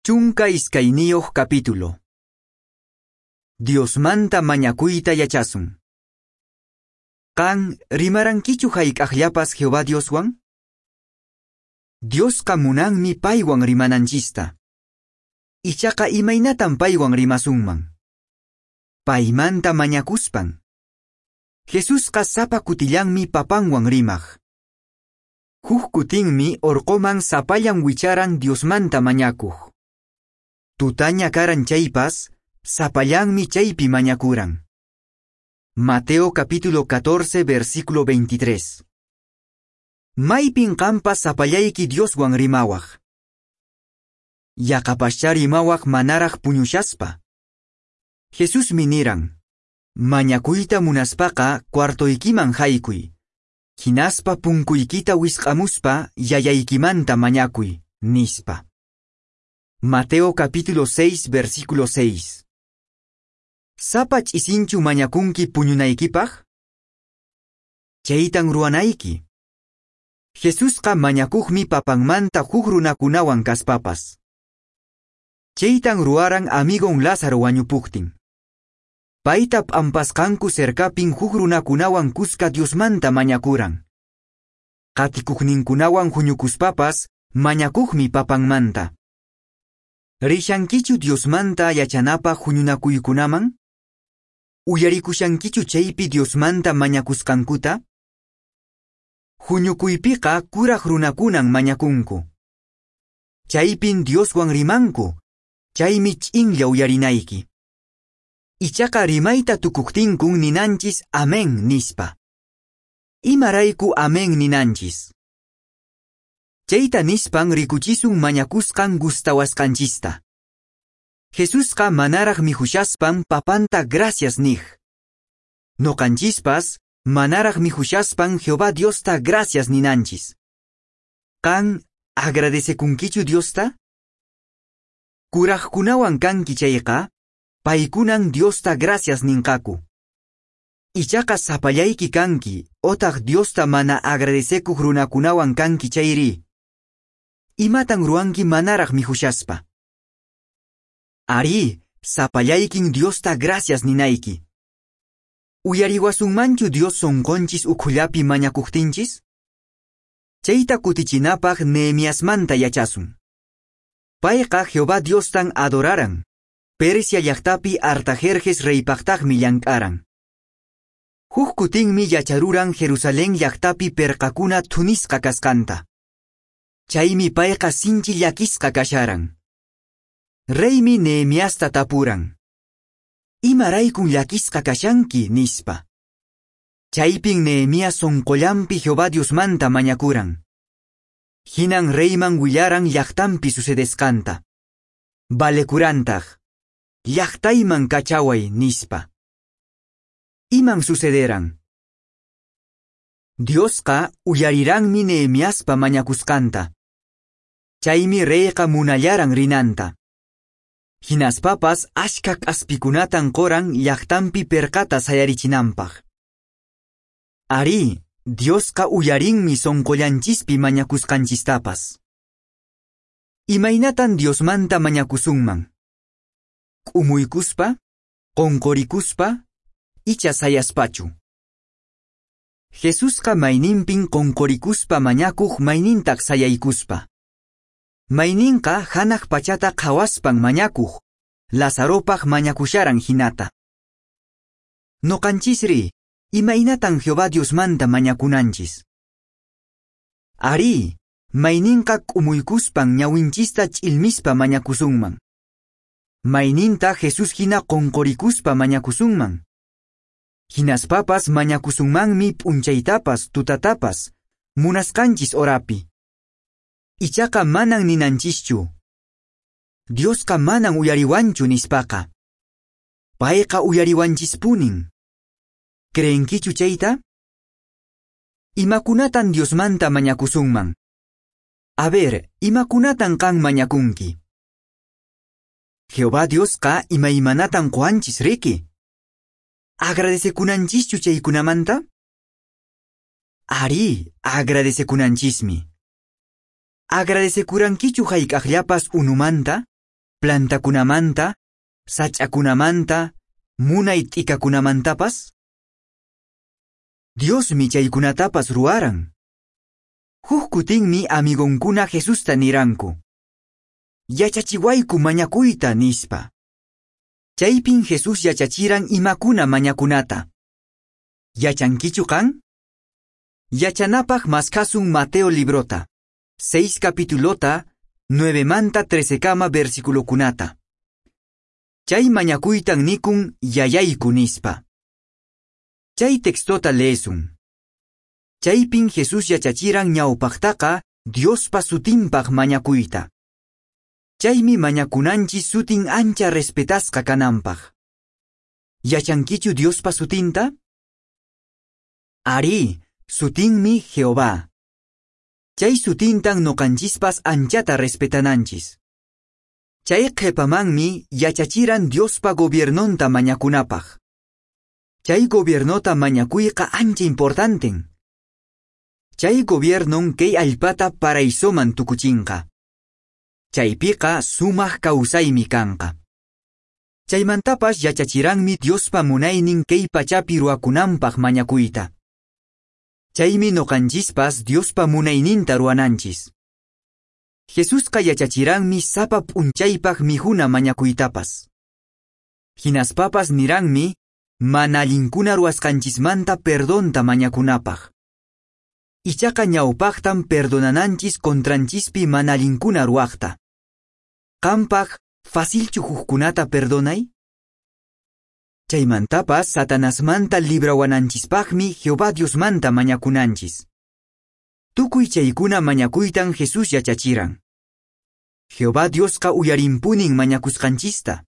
12 capítulo. Diosmanta mañakuyta yachasun. Qan rimarankichu hayk'aqllapas Jehová Dioswan? Diosqa munanmi paywan rimananchista. Ichaqa imaynatan paywan rimasunman? Paymanta mañakuspan. Jesusqa sapa kutillanmi papanwan rimaq. Huk kutinmi orqoman sapallan wicharan Diosmanta mañakuq. Tutaña karan chaypas, sapallanmi chaypi mañakuran. Mateo capítulo 14, versículo 23. Maypin qampas sapallayki Dioswan rimawaq. Yaqapaschá rimawaq manaraq puñushaspa. Jesusmi niran, mañakuyta munaspaqa cuartoykiman haykuy. Hinaspa punkuykita wisq'amuspa yayaykimanta mañakuy, nispa. Mateo capítulo 6, versículo 6. Sapa ch'isinchu mañakunki puñunaykipaq? Chaytan ruwanayki. Jesusqa mañakuqmi papanmanta huk runakunawan kaspapas. Chaytan ruwaran amigon Lázaro wañupuqtin. Payta p'ampasqanku cercapin huk runakunawan kuska Diosmanta mañakuran. Qatikuqninkunawan huñukuspapas mañakuqmi papanmanta. Rishankichu Diosmanta yachanapaq huñunakuykunaman? Uyarikushankichu chaypi Diosmanta mañakusqankuta? Huñukuypiqa kuraq runakunan mañakunku. Chaypin Dioswan rimanku, chaymi ch'inlla uyarinayki. Ichaqa rimayta tukuqtinkun ninanchis amén nispa. Imarayku amén ninanchis? Chayta nispan rikuchisun mañakusqan gustawasqanchista. Jesusqa manaraq mihushaspan papanta gracias niq. Noqanchispas manaraq mihushaspan Jehová Diosta gracias ninanchis. Qan agradecekunkichu Diosta? Kuraqkunawan kanki chayqa, paykunan Diosta gracias ninqaku. Ichaqa sapallayki kanki, otaq Diosta mana agradecekuq runakunawan kanki chayri. Imatan ruwanki manaraq mihushaspa? Ari, sapallaykin Diosta gracias ninayki. Uyariwasunmanchu Dios sonqonchis ukhullapi mañakuqtinchis? Chayta kutichinapaq Nehemiasmanta yachasun. Payqa Jehová Diostan adoraran. Persia llaqtapi Artajerjes reypaqtaqmi llank'aran. Huk kutinmi yacharuran Jerusalén llaqtapi perqakuna thunisqa kasqanta. Chaymi payqa sinchi llakisqa kasharan. Reymi Nehemiasta tapuran. Imaraykun llakisqa kashanki, nispa. Chaypin Nehemías sonqollanpi Jehová Diosmanta mañakuran. Hinan reyman willaran llaqtanpi sucedesqanta. Valekurantaq. Llaqtayman kachaway, nispa. Iman sucederan? Diosqa uyariranmi Nehemiaspa mañakusqanta. Chaymi reyqa munallaran rinanta. Hinaspapas ashka k'aspikunatan qoran llaqtanpi perqata sayarichinanpaq. Ari, Diosqa uyarinmi sonqollanchispi mañakusqanchistapas. Imaynatan Diosmanta mañakusunman? K'umuykuspa, qonqorikuspa, icha sayaspachu. Jesusqa mayninpin qonqorikuspa mañakuq maynintaq sayaykuspa. Mayninqa hanaq pachata qhawaspan mañakuq, Lazaropaq mañakusharan hinata. Noqanchisri, imaynatan Jehová Diosmanta mañakunanchis? Ari, mayninqa k'umuykuspan ñawinchista ch'ilmispa mañakusunman. Mayninta Jesús hina qonqorikuspa mañakusunman. Hinaspapas mañakusunmanmi p'unchaytapas tutatapas, munasqanchis horapi. Ichaqa manan ninanchischu. Diosqa manan uyariwanchu nispaqa. Payqa uyariwanchispunin. Creenkichu chayta? Imakunatan Diosmanta mañakusunman? A ver, imakunatan qan mañakunki? Jehová Diosqa imaymanatan qowanchis riki. Agradecekunanchischu chaykunamanta? Ari, agradecekunanchismi. Agradecekurankichu hayk'aqllapas unumanta? Plantakunamanta, sach'akunamanta, munay t'ikakunamantapas? Diosmi chaykunatapas ruwaran. Huk kutinmi amigonkuna Jesusta niranku: "Yachachiwayku mañakuyta", nispa. Chaypin Jesús yachachiran imakuna mañakunata. Yachankichu qan? Yachanapaq maskhasun Mateo librota, 6 capitulota, 9 manta 13 kama versiculokunata. Chay mañakuytan nikun "Yayayku" nispa. Chay textota leesun. Chaypin Jesús yachachiran ñawpaqtaqa Diospa sutinpaq mañakuyta. Chaymi mañakunanchis sutin ancha respetasqa kananpaq. Yachankichu Diospa sutinta? Arí, sutinmi Jehová. Chay sutintan noqanchispas anchata respetananchis. Chay qhepamanmi yachachiran Diospa gobiernonta mañakunapaq. Chay gobiernota mañakuyqa ancha importanten. Chay gobiernon kay allpata paraisoman tukuchinqa. Chaypiqa sumaq kawsaymi kanqa. Chaymantapas yachachiranmi Diospa munaynin kay pachapi ruwakunanpaq mañakuyta. Chaymi noqanchispas Diospa munayninta ruwananchis. Jesusqa yachachiranmi sapa p'unchaypaq mikhuna mañakuytapas. Hinaspapas niranmi mana allinkuna ruwasqanchismanta perdonta mañakunapaq. Ichaqa ñawpaqtan perdonananchis contranchispi mana allinkuna ruwaqta. Qampaq, facilchu hukkunata perdonay? Chaymantapas Satanasmanta librawananchispaqmi Jehová Diosmanta mañakunanchis. Tukuy chaykuna mañakuytan Jesús yachachiran. Jehová Diosqa uyarinpunin mañakusqanchista.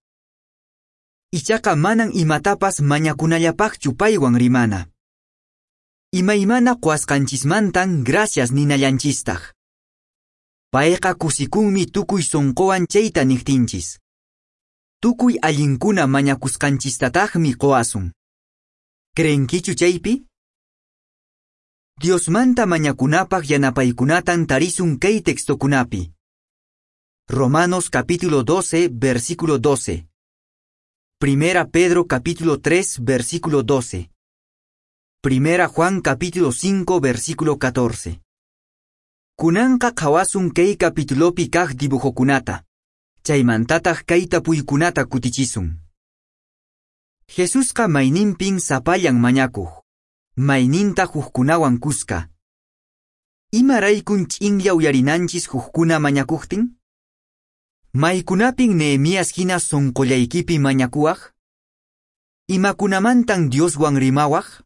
Ichaqa manan imatapas mañakunallapaqchu paywan rimana. Imaymana quwasqanchismantan gracias ninallanchistaq. Payqa kusikunmi tukuy sonqowan chayta niqtinchis. Tukuy allinkuna mañakusqanchistataqmi qowasun. Creenkichu chaypi? Diosmanta mañakunapaq yanapaykunatan tarisun kay textokunapi. Romanos capítulo 12, versículo 12. Primera Pedro capítulo 3, versículo 12. Primera Juan capítulo 5, versículo 14. Kunanqa qhawasun kay capitulopi kaq dibujokunata. Chaymantataq kay tapuykunata kutichisun. Jesusqa mayninpin sapallan mañakuq, mayninta hukkunawan kuska. Imaraykun ch'inlla uyarinanchis hukkuna mañakuqtin? Maykunapin Nehemías hina sonqollaykipi mañakuwaq? Imakunamantan Dioswan rimawaq?